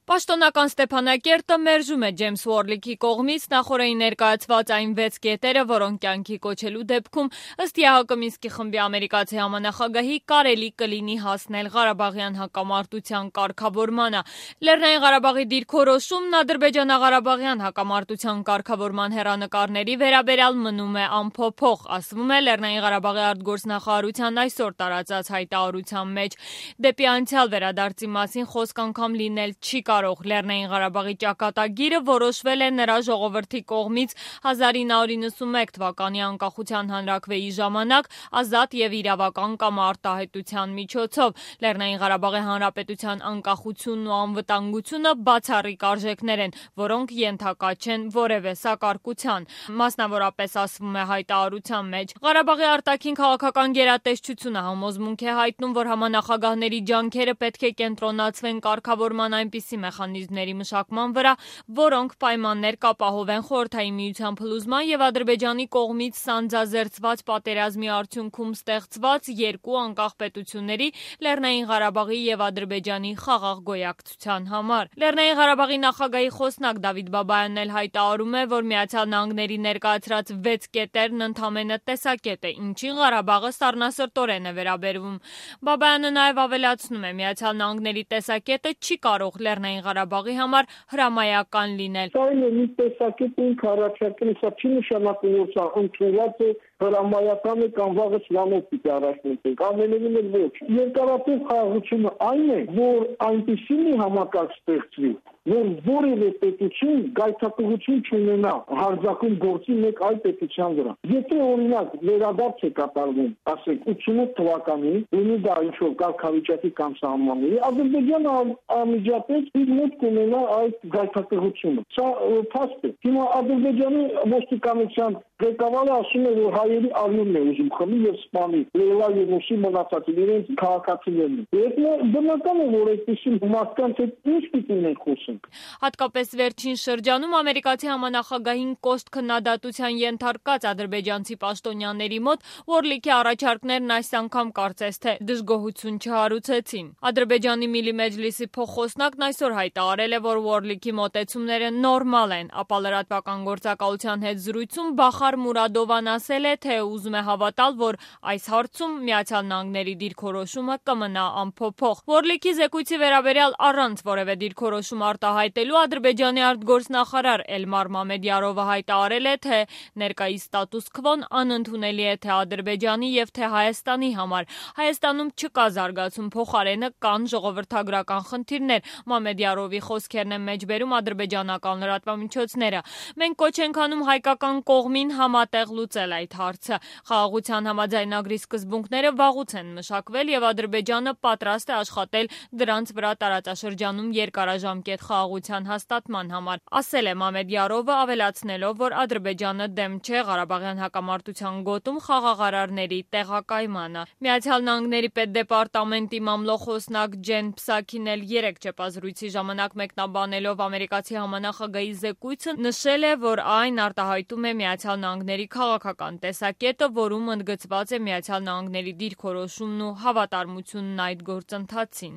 Պաշտոնական Ստեփանակերտը մերժում է Ջեյմս Ուորլիքի կողմից նախօրեին ներկայացված այն 6 կետերը, որոնք կյանքի կոչելու դեպքում ըստ ԵԱՀԿ Մինսկի խմբի ամերիկացի համանախագահի կարելի կլինի հասնել Ղարաբաղյան հակամարտության կարգավորմանը։ Լեռնային Ղարաբաղի դիրքորոշումն ադրբեջանա-ղարաբաղյան հակամարտության կարգավորման հեռանկարների վերաբերյալ մնում է անփոփոխ, ասվում է Լեռնային Ղարաբաղի արտգործնախարարության այսօր տարածած հայտարարության մեջ։ Դեպի անցյալ վերադարձի մասին խոսք անգամ լինել չի կարող։ Լեռնային Ղարաբաղի ճակատագիրը որոշվել է նրա ժողովրդի կողմից 1991 թվականի անկախության հանրաքվեի ժամանակ ազատ եւ իրավական կամ արտահայտության միջոցով։ Լեռնային Ղարաբաղի հանրապետության անկախությունն ու անվտանգությունը բացառիկ արժեքներ են, որոնք ենթակա չեն որևէ սակարկության, մասնավորապես ասվում է հայտարարության մեջ։ Ղարաբաղի արտաքին քաղաքական գերատեսչությունը համոզմունք է հայտնում, որ համանախագահների ջանքերը պետք է կենտրոնացվեն կարգավորման այնպիսի մեխանիզմների մշակման վրա, որոնք պայմաններ կապահովեն Խորհրդային Միության փլուզման եւ Ադրբեջանի կողմից սանձազերծված պատերազմի արդյունքում ստեղծված երկու անկախ պետությունների՝ Լեռնային Ղարաբաղի եւ Ադրբեջանի խաղաղ գոյակցության համար։ Լեռնային Ղարաբաղի նախագահի խոսնակ Դավիթ Բաբայանն էլ հայտարարում է, որ Միացյալ Նահանգների ներկայացրած 6 կետերն ընդամենը տեսակետ է, ինչին Ղարաբաղը սառնասրտորեն է վերաբերվում։ Բաբայանը նաեւ ավելացնում է, Միացյալ Նահանգների տեսակետը չի կարող Լեռնային Ղարաբաղի համար հրամայական լինել։ Սա մի տեսակետ ինքը առաջարկել, սա չի նշանակում, որ սա ընդունված է հրամայական է կամ վաղը սրանով պիտի առաջնորդենք, ամենևին էլ ոչ։ Երկարատև խաղաղությունը այն է, որ այնպիսի մի համակարգ ստեղծվի, որ որևէ պետություն գայթակղություն չունենա հարձակում գործի մեկ այլ պետության վրա։ Եթե օրինակ վերադարձ է կատարվում, ասենք 88 թվականին, ունի դա ինչ-որ կարգավիճակի կամ սահմանների, Ադրբեջանը անմիջապես իր մոտ կունենա այդ գայթակղությունը։ Սա փաստ է։ Հիմա Ադրբեջանի ոստիկանության ղեկավարը ասում է, որ հայերի արյունն է ուզում խմի եւ սպանի Լեյլա եւ Մուսի մնացած իրենց քաղաքացիներն։ Դա բնական է, որ այդպիսի մարդկանց հետ ինչ պիտի մենք խոսենք։ Հատկապես վերջին շրջանում ամերիկացի համանախագահին կոշտ քննադատության ենթարկած ադրբեջանցի պաշտոնյաների մոտ Ուորլիքի առաջարկներն այս անգամ կարծես թե դժգոհություն չհարուցեցին։ Ադրբեջանի Միլի Մեջլիսի փոխխոսնակն այսօր հայտարարել է, որ Ուորլիքի մոտեցումները նորմալ են, ապա լրատվական գործակալության հետ զրույցում Բախար Մուրադովան ասել է, թե ուզում է հավատալ, որ այս հարցում Միացյալ Նահանգների դիրքորոշումը կմնա անփոփոխ։ Ուորլիքի զեկույցի վերաբերյալ առանց որևէ դիրքորոշում արտահայտելու Ադրբեջանի արտգործնախարար Էլմար Մամեդյարովը հայտարարել է, թե ներկայիս ստատուս քվոն անընդունելի է թե Ադրբեջանի եւ թե Հայաստանի համար։ Հայաստանում չկա զարգացում, փոխարենը կան ժողովրդագրական խնդիրներ։ Մամեդյարովի խոսքերն են մեջբերում ադրբեջանական լրատվամիջոցները։ Մենք կոչ ենք անում հայկական կողմին համատեղ լուծել այդ հարցը։ Խաղաղության համաձայնագրի սկզբունքները վաղուց են մշակվել եւ Ադրբեջանը պատրաստ է աշխատել դրանց վրա տարածաշրջանում երկարաժամկետ խաղաղության հաստատման համար, ասել է Մամեդյարովը, ավելացնելով, որ Ադրբեջանը դեմ չէ Ղարաբաղյան հակամարտության գոտում խաղաղարարների տեղակայմանը։ Միացյալ Նահանգների պետդեպարտամենտի մամլոխոսնակ Ջեն Փսաքին էլ 3 ճեպազրույցի ժամանակ մեկնաբանելով ամերիկացի համանախագահի զեկույցը նշել է, որ այն արտահայտում է Միացյալ Նահանգների քաղաքական տեսակետը, որում ընդգծված է Միացյալ Նահանգների դիրքորոշումն ու հավատարմությունն այդ գործընթացին։